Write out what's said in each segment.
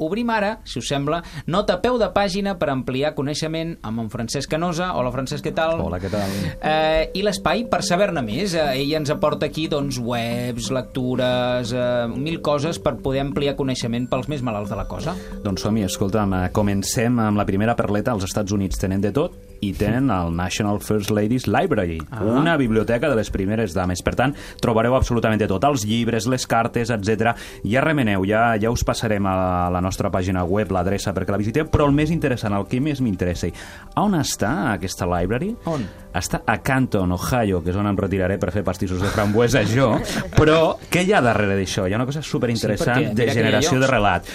Obrim ara, si us sembla, nota a peu de pàgina per ampliar coneixement amb en Francesc Canosa. Hola, Francesc, què tal? Hola, què tal? I l'espai per saber-ne més. Ell ens aporta aquí doncs, webs, lectures, mil coses per poder ampliar coneixement pels més malalts de la cosa. Doncs som-hi, escolta'm, comencem amb la primera perleta. Als Estats Units tenen de tot i tenen el National First Ladies Library, una biblioteca de les primeres dames. Per tant, trobareu absolutament de tot, els llibres, les cartes, etc. Ja remeneu, ja us passarem a la nostra pàgina web l'adreça perquè la visiteu, però el més interessant, el que més m'interessa, on està aquesta library? On? Està a Canton, Ohio, que és on em retiraré per fer pastissos de frambuesa jo, però què hi ha darrere d'això? Hi ha una cosa superinteressant de generació de relat.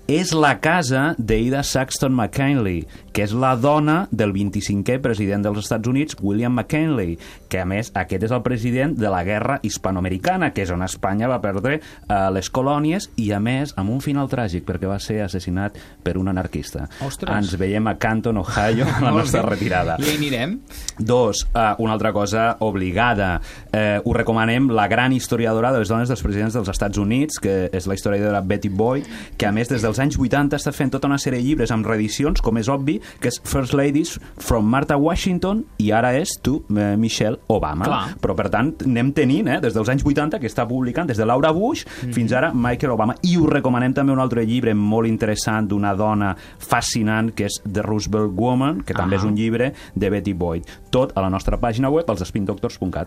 És la casa d'Ada Saxton McKinley, que és la dona del 25è president dels Estats Units, William McKinley, que a més aquest és el president de la guerra hispanoamericana, que és on Espanya va perdre les colònies i a més amb un final tràgic perquè va ser assassinat per un anarquista. Ostres. Ens veiem a Canton, Ohio, a la nostra retirada. I hi anirem. Dos, una altra cosa obligada. Us recomanem la gran historiadora de les dones dels presidents dels Estats Units, que és la historiadora Betty Boyd, que a més des dels anys 80 està fent tota una sèrie de llibres amb reedicions, com és obvi, que és First Ladies from Martha Washington i ara és to Michelle Obama. Clar. Però per tant anem tenint, des dels anys 80 que està publicant, des de Laura Bush fins ara Michelle Obama. I us recomanem també un altre llibre molt interessant d'una dona fascinant que és The Roosevelt Woman, que també és un llibre de Betty Boyd. Tot a la nostra pàgina web, als spindoctors.cat.